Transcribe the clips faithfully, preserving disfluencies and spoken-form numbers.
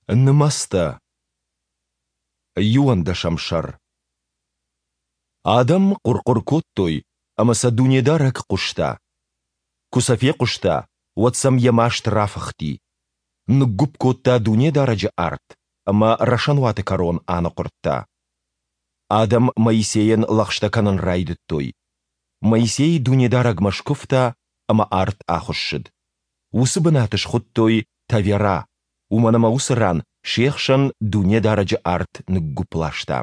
Нымӕцтӕ. Иуӕндӕсӕм сӕр. Адӕм хъуыр-хъуыр кодтой, ӕмӕ сӕ Дунедарӕг хъуыста. Куы сӕ фехъуыста, уӕд сӕм Йӕ маст рафыхти. Ныггуыпп кодта Дунедарӕджы арт ӕмӕ рӕсӕнуаты кӕрон аныхъуырдта. Адӕм Моисейӕн лӕгъстӕ кӕнын райдыдтой. Моисей Дунедарӕгмӕ скуывта, ӕмӕ арт ахуыссыд. Уыцы бынат схуыдтой Тавера, уымӕн ӕмӕ уыцы ран се хсӕн Дунедарӕджы арт ныггуыпп ласта.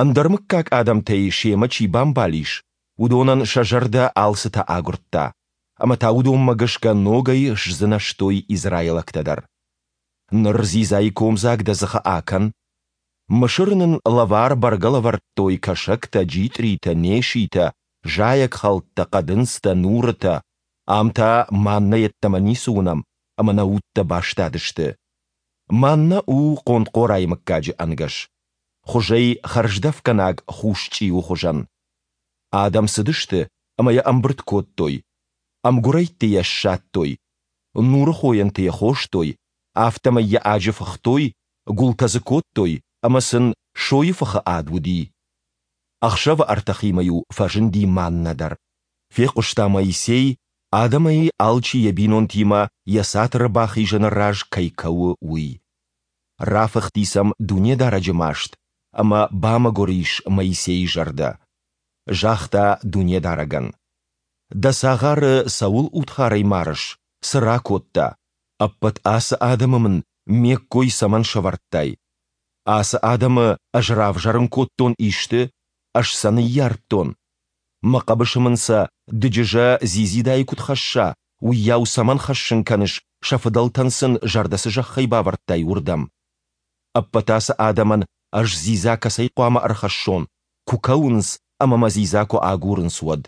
Ӕндӕрмыггаг адӕмтӕй семӕ чи бамбал ис, уыдонӕн сӕ зӕрдӕ алцытӕ агуырдта, ӕмӕ та уыдонмӕ гӕсгӕ ногӕй сдзынӕзтой израилӕгтӕ дӕр. Ныр дзидзайы комдзаг дӕ дзыхы акӕн. Мысыры нын лӕвар бӕргӕ лӕвӕрдтой кӕсӕгтӕ, джитъритӕ, неситӕ, зайӕгхӕлттӕ, хъӕдындзтӕ, нурытӕ, ам та маннӕ йеддӕмӕ ницы уынӕм, ӕмӕ нӕ удтӕ бастадысты. Маннӕ у хъонтхъорайы мыггаджы ӕнгӕс, хуызӕй хӕрздӕфгӕнаг хус чъиуы хуызӕн. Адӕм цыдысты ӕмӕ йӕ ӕмбырд кодтой, ӕмгуырӕйтты йӕ ссадтой, нурыхойӕнты йӕ хостой, афтӕмӕй йӕ аджы фыхтой, гуылтӕ дзы кодтой ӕмӕ сын сойы фыхы ад уыди. Ӕхсӕвы ӕртӕхимӕ-иу фӕзынди маннӕ дӕр. Фехъуыста Моисей, адӕмӕй алчи йӕ бинонтимӕ йӕ цатыры бахизӕны раз кӕй кӕуы, уый. Рафыхти сӕм Дунедарӕджы маст, ӕмӕ бамӕгуыр ис Моисейы зӕрдӕ. Загъта Дунедарӕгӕн: Дӕ цагъары цӕуыл удхарӕй марыс, цы ракодта? Ӕппӕт ацы адӕмы мын ме ккой цӕмӕн сӕвӕрдтай? Ацы адӕмы ӕз равзӕрын кодтон исты, ӕз сӕ ныййардтон? Мӕ хъӕбысы мын сӕ, дыджызӕ дзидзидайы куыд хӕсса, уыйау цӕмӕн хӕссын кӕныс, сӕ фыдӕлтӕн сын зӕрдӕ цы зӕххӕй бавӕрдтай, уырдӕм? Ӕппӕт ацы адӕмӕн ӕз дзидза кӕцӕй хъуамӕ ӕрхӕссон, куы кӕуынц ӕмӕ мӕ дзидза куы агурынц, уӕд?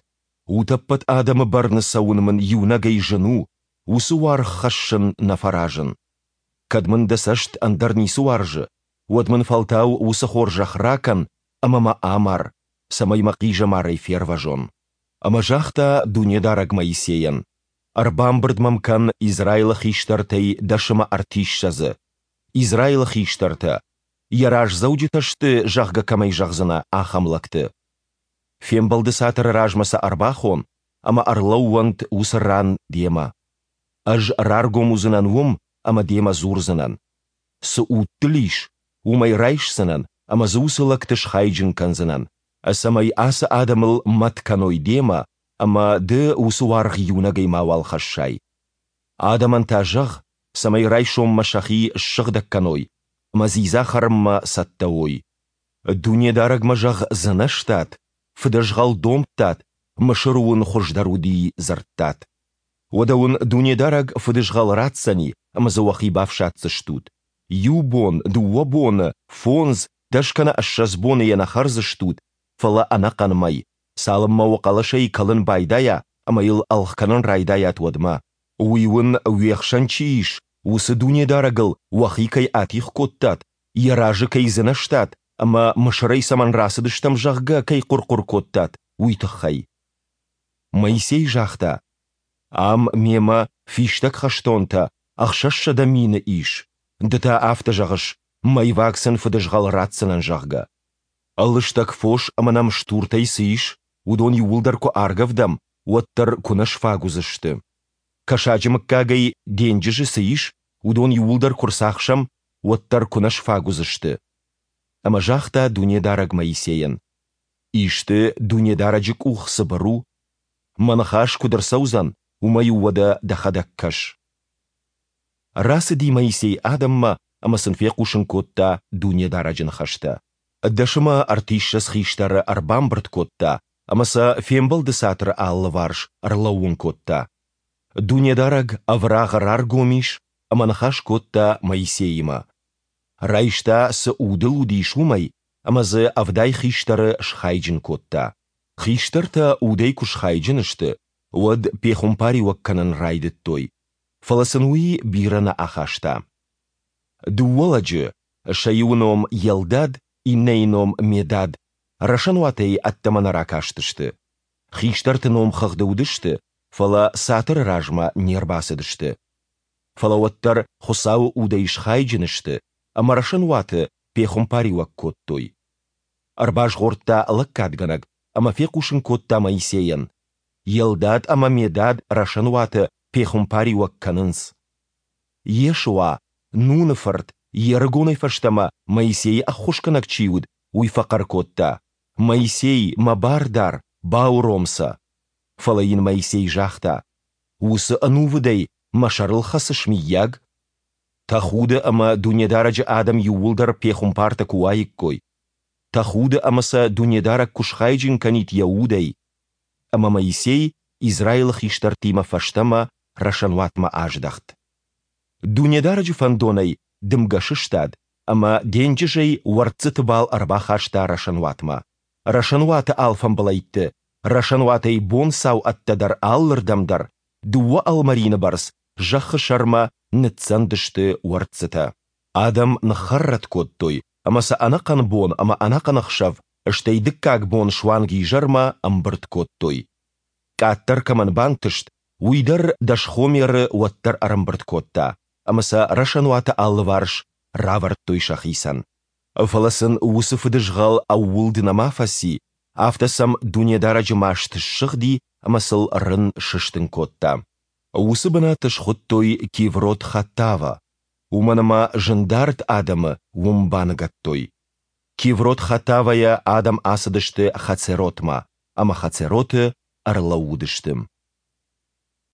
Утӕппӕт адӕмы бӕрны цӕуын мын иунӕгӕй зын у, уыцы уаргъ хӕссын нӕ фӕразын. Кӕд мын дӕ цӕст ӕндӕр ницы уарзы, уӕд мын фӕлтау уыцы хорзӕх ракӕн ӕмӕ мӕ амар, цӕмӕй мӕ хъизӕмарӕй фервӕзон. Ӕмӕ загъта Дунедарӕг Моисейӕн, Ӕрбамбырд мӕм кӕн Израилы хистӕртӕй дӕс ӕмӕ ӕртиссӕдзы. Израилы хистӕртӕ, йӕ раздзӕуджытӕ сты, зӕгъгӕ, кӕмӕй зӕгъдзынӕ, ахӕм лӕгты. Фембӕлды цатыры размӕ сӕ ӕрбахон, ӕмӕ ӕрлӕууӕнт уыцы ран демӕ. Ӕз раргом уыдзынӕн уым ӕмӕ демӕ дзурдзынӕн. Цы уд дыл ис, уымӕй райсдзынӕн ӕмӕ дзы уыцы лӕгты схайджын кӕндзынӕн, цӕмӕй ацы адӕмыл мӕт кӕной демӕ ӕмӕ ды уыцы уаргъ иунӕгӕй мауал хӕссай. Адӕмӕн та зӕгъ, цӕмӕй райсоммӕ сӕхи ссыгъдӕг кӕной ӕмӕ дзидза хӕрынмӕ цӕттӕ уой. Дунедарӕгмӕ, зӕгъ, дзынӕзтат, фыдызгъӕл домдтат, Мысыры уын хуыздӕр уыди, дзырдтат. Уӕдӕ уын Дунедарӕг фыдызгъӕл ратдзӕни ӕмӕ дзы уӕхи бафсаддзыстут. Иу бон, дыууӕ боны, фондз, дӕс кӕнӕ ссӕдз боны йӕ нӕ хӕрдзыстут, фӕлӕ ӕнӕхъӕн мӕй, цалынмӕ уӕ хъӕлӕсӕй кӕлын байдайа ӕмӕ йыл ӕлгъ кӕнын райдайат, уӕдмӕ. Уый уын, уе хсӕн чи ис, уыцы Дунедарӕгыл уӕхи кӕй атигъ кодтат, Йӕ разы кӕй дзынӕзтат ӕмӕ Мысырӕй цӕмӕн рацыдыстӕм, зӕгъгӕ, кӕй хъуыр-хъуыр кодтат, уый тыххӕй. Моисей загъта: Ам мемӕ фистӕг хӕстонтӕ ӕхсӕзсӕдӕ мины ис, ды та афтӕ зӕгъыс, мӕйваг сын фыдызгъӕл ратдзынӕн, зӕгъгӕ. Лыстӕг фос ӕмӕ нӕм стуртӕй цы ис, уыдон иууылдӕр куы аргӕвдӕм, уӕддӕр куы нӕ сфаг уыдзысты. Кӕсаджы мыггагӕй денджызы цы ис, уыдон иууылдӕр куы рцахсӕм, уӕддӕр куы нӕ сфаг уыдзысты. Ӕмӕ загъта Дунедарӕг Моисейӕн: Исты Дунедарӕджы къух цыбыр у? Мӕ ныхас куыд ӕрцӕудзӕн, уымӕ-иу уӕдӕ дӕхӕдӕг кӕс. Рацыди Моисей адӕммӕ ӕмӕ сын фехъусын кодта Дунедарӕджы ныхӕстӕ. Дӕс ӕмӕ ӕртиссӕдз хистӕры ӕрбамбырд кодта ӕмӕ сӕ Фембӕлды цатыры алыварс ӕрлӕууын кодта. Дунедарӕг ӕврагъы раргом ис ӕмӕ ныхас кодта Моисеимӕ. Райста, цы уд ыл уыдис, уымӕй, ӕмӕ дзы ӕвдай хистӕры схайджын кодта. Хистӕртӕ удӕй куы схайджын сты, уӕд пехуымпариуӕг кӕнын райдыдтой, фӕлӕ сын уый бирӕ нӕ ахаста. Дыууӕ лӕджы, сӕ иуы ном Елдад, иннӕйы ном Медад, рӕсӕнуатӕй ӕддӕмӕ нӕ ракастысты. Хистӕрты номхыгъды уыдысты, фӕлӕ цатыры размӕ не рбацыдысты. Фӕлӕ уӕддӕр Хуыцауы Удӕй схайджын сты ӕмӕ рӕсӕнуаты пехуымпариуӕг кодтой. Ӕрбазгъордта лӕггадгӕнӕг ӕмӕ фехъусын кодта Моисейӕн, Елдад ӕмӕ Медад рӕсӕнуаты пехуымпариуӕг кӕнынц. Йешуа, Нуны фырт, йе рыгонӕй фӕстӕмӕ Моисейы ӕххуысгӕнӕг чи уыд, уый фӕхъӕр кодта, Моисей, мӕ бардар, бауром сӕ! Фӕлӕ йын Моисей загъта, Уыцы ӕнувыдӕй мӕ сӕрыл хӕцыс, мыййаг? Тӕхуды ӕмӕ Дунедарӕджы адӕм иууылдӕр пехуымпартӕ куы уаиккой! Тӕхуды ӕмӕ сӕ Дунедарӕг куы схайджын кӕнид Йӕ Удӕй! Ӕмӕ Моисей Израилы хистӕртимӕ фӕстӕмӕ рӕсӕнуатмӕ аздӕхт. Дунедарӕджы фӕндонӕй дымгӕ сыстад ӕмӕ денджызӕй уӕрццыты бал ӕрбахаста рӕсӕнуатмӕ. Рӕсӕнуаты алфамбылӕйтты, рӕсӕнуатӕй бонцау ӕддӕдӕр алырдӕм дӕр, дыууӕ ӕлмӕрины бӕрц зӕххы сӕрмӕ ныццӕнд сты уӕрццытӕ. Адӕм ныххӕррӕтт кодтой ӕмӕ сӕ ӕнӕхъӕн бон ӕмӕ ӕнӕхъӕн ӕхсӕв, стӕй дыккаг бон суанг изӕрмӕ ӕмбырд кодтой. Къаддӕр кӕмӕн бантыст, уый дӕр дӕс хомеры уӕддӕр ӕрӕмбырд кодта, ӕмӕ сӕ рӕсӕнуаты алыварс равӕрдтой сӕхицӕн. Фӕлӕ сын уыцы фыдызгъӕл ӕууылд нӕма фӕци, афтӕ сӕм Дунедарӕджы маст ссыгъди ӕмӕ сыл рын сыстын кодта. Уыцы бынат схуыдтой Киврот-Хаттава, уымӕн ӕмӕ зындард адӕмы уым баныгӕдтой. Киврот-Хаттавайӕ адӕм ацыдысты Хацеротмӕ ӕмӕ Хацероты ӕрлӕууыдысты.